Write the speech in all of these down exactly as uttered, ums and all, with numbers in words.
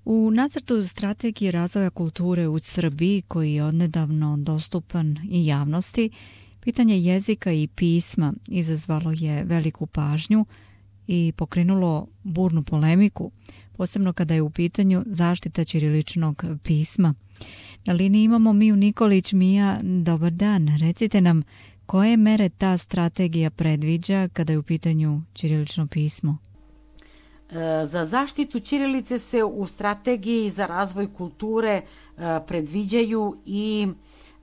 U nacrtu strategije razvoja kulture u Srbiji, koji je odnedavno dostupan i javnosti, pitanje jezika i pisma izazvalo je veliku pažnju i pokrenulo burnu polemiku, posebno kada je u pitanju zaštita ćiriličnog pisma. Na liniji imamo Miju Nikolić. Mija, dobar dan. Recite nam koje mere ta strategija predviđa kada je u pitanju ćirilično pismo? Za zaštitu ćirilice se u strategiji za razvoj kulture predviđaju i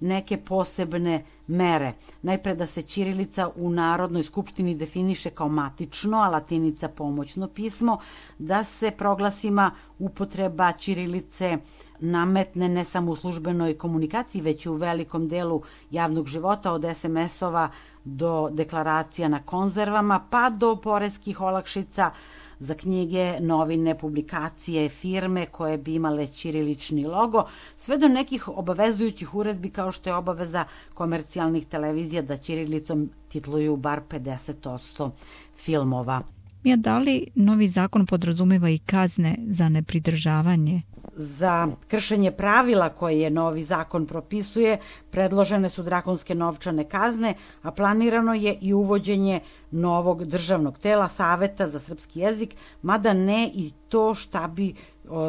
neke posebne mere. Najpre da se ćirilica u Narodnoj skupštini definiše kao matično, a latinica pomoćno pismo, da se proglasima upotreba ćirilice nametne ne samo u službenoj komunikaciji, već i u velikom delu javnog života, od es em esova do deklaracija na konzervama, pa do poreskih olakšica za knjige, novine, publikacije, firme koje bi imale ćirilični logo, sve do nekih obavezujućih uredbi kao što je obaveza komercijalnih televizija da ćirilicom titluju bar pedeset posto filmova. Mija, da li novi zakon podrazumeva i kazne za nepridržavanje? Za kršenje pravila koje je novi zakon propisuje, predložene su drakonske novčane kazne, a planirano je i uvođenje novog državnog tela, Saveta za srpski jezik, mada ne i to šta bi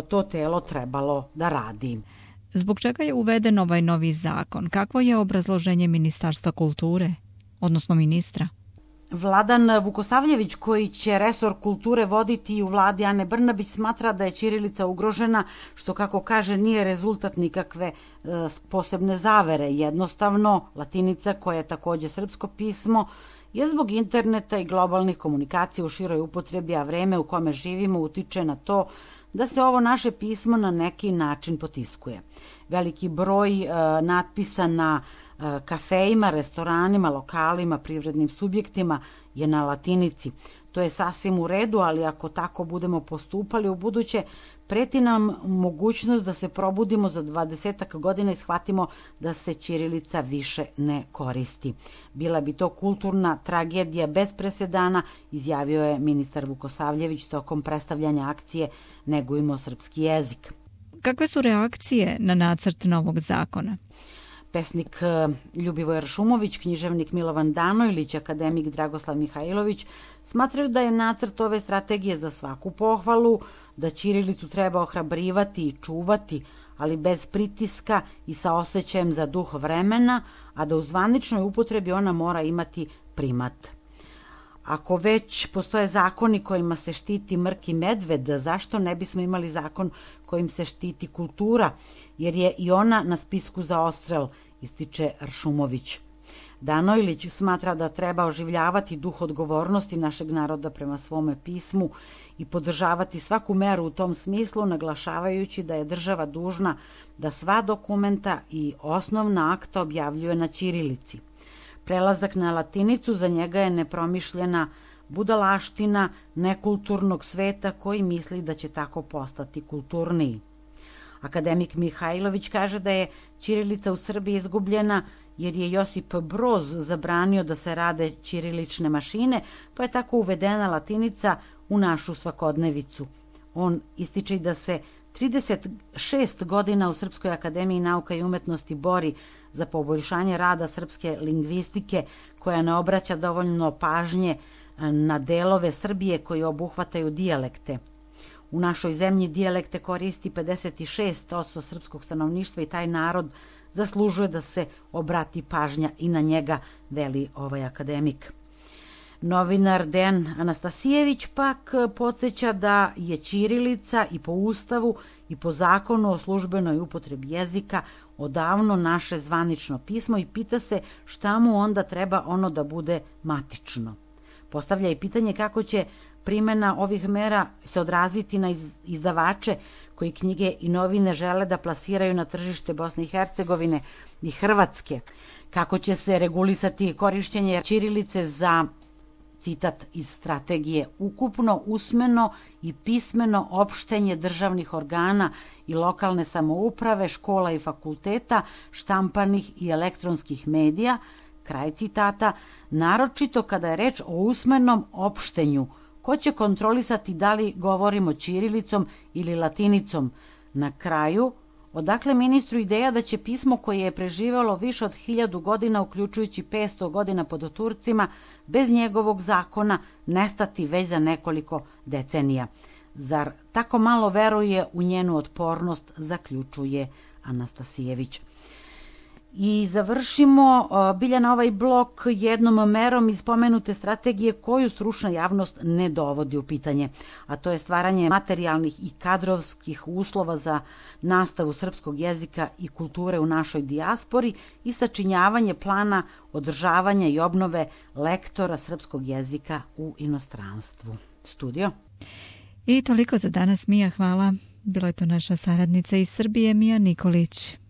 to telo trebalo da radi. Zbog čega je uveden ovaj novi zakon? Kakvo je obrazloženje Ministarstva kulture, odnosno ministra? Vladan Vukosavljević, koji će resor kulture voditi u vladi Ane Brnabić, smatra da je ćirilica ugrožena, što, kako kaže, nije rezultat nikakve e, posebne zavere. Jednostavno, latinica, koja je takođe srpsko pismo, je zbog interneta i globalnih komunikacija u široj upotrebi, a vreme u kome živimo utiče na to da se ovo naše pismo na neki način potiskuje. Veliki broj e, natpisa na e, kafejima, restoranima, lokalima, privrednim subjektima je na latinici. To je sasvim u redu, ali ako tako budemo postupali u buduće, preti nam mogućnost da se probudimo za dvadesetak godina i shvatimo da se ćirilica više ne koristi. Bila bi to kulturna tragedija bez presedana, izjavio je ministar Vukosavljević tokom predstavljanja akcije Negujmo srpski jezik. Kakve su reakcije na nacrt novog zakona? Pesnik Ljubivoj Ršumović, književnik Milovan Danojlić, akademik Dragoslav Mihajlović smatraju da je nacrt ove strategije za svaku pohvalu, da ćirilicu treba ohrabrivati i čuvati, ali bez pritiska i sa osjećajem za duh vremena, a da u zvaničnoj upotrebi ona mora imati primat. Ako već postoje zakoni kojima se štiti mrki medved, zašto ne bismo imali zakon kojim se štiti kultura, jer je i ona na spisku za odstrel, ističe Ršumović. Danojlić smatra da treba oživljavati duh odgovornosti našeg naroda prema svome pismu i podržavati svaku meru u tom smislu, naglašavajući da je država dužna da sva dokumenta i osnovna akta objavljuje na ćirilici. Prelazak na latinicu za njega je nepromišljena budalaština nekulturnog sveta koji misli da će tako postati kulturniji. Akademik Mihajlović kaže da je ćirilica u Srbiji izgubljena jer je Josip Broz zabranio da se rade ćirilične mašine, pa je tako uvedena latinica u našu svakodnevicu. On ističe da se trideset šest godina u Srpskoj akademiji nauka i umetnosti bori za poboljšanje rada srpske lingvistike, koja ne obraća dovoljno pažnje na delove Srbije koji obuhvataju dijalekte. U našoj zemlji dijalekte koristi pedeset šest posto srpskog stanovništva i taj narod zaslužuje da se obrati pažnja i na njega, veli ovaj akademik. Novinar Dejan Anastasijević pak podsjeća da je ćirilica i po Ustavu i po zakonu o službenoj upotrebi jezika odavno naše zvanično pismo i pita se šta mu onda treba ono da bude matično. Postavlja i pitanje kako će primjena ovih mera se odraziti na izdavače koji knjige i novine žele da plasiraju na tržište Bosne i Hercegovine i Hrvatske. Kako će se regulisati korišćenje ćirilice za, citat iz strategije, ukupno usmeno i pismeno opštenje državnih organa i lokalne samouprave, škola i fakulteta, štampanih i elektronskih medija, kraj citata, naročito kada je reč o usmenom opštenju Ko će kontrolisati da li govorimo ćirilicom ili latinicom? Na kraju, odakle ministru ideja da će pismo koje je preživelo više od hiljadu godina, uključujući petsto godina pod Turcima, bez njegovog zakona nestati već za nekoliko decenija? Zar tako malo veruje u njenu otpornost, zaključuje Anastasijević. I završimo Biljana ovaj blok jednom merom iz pomenute strategije koju stručna javnost ne dovodi u pitanje, a to je stvaranje materijalnih i kadrovskih uslova za nastavu srpskog jezika i kulture u našoj dijaspori i sačinjavanje plana održavanja i obnove lektora srpskog jezika u inostranstvu. Studio. I toliko za danas, Mija, hvala. Bila je to naša saradnica iz Srbije, Mija Nikolić.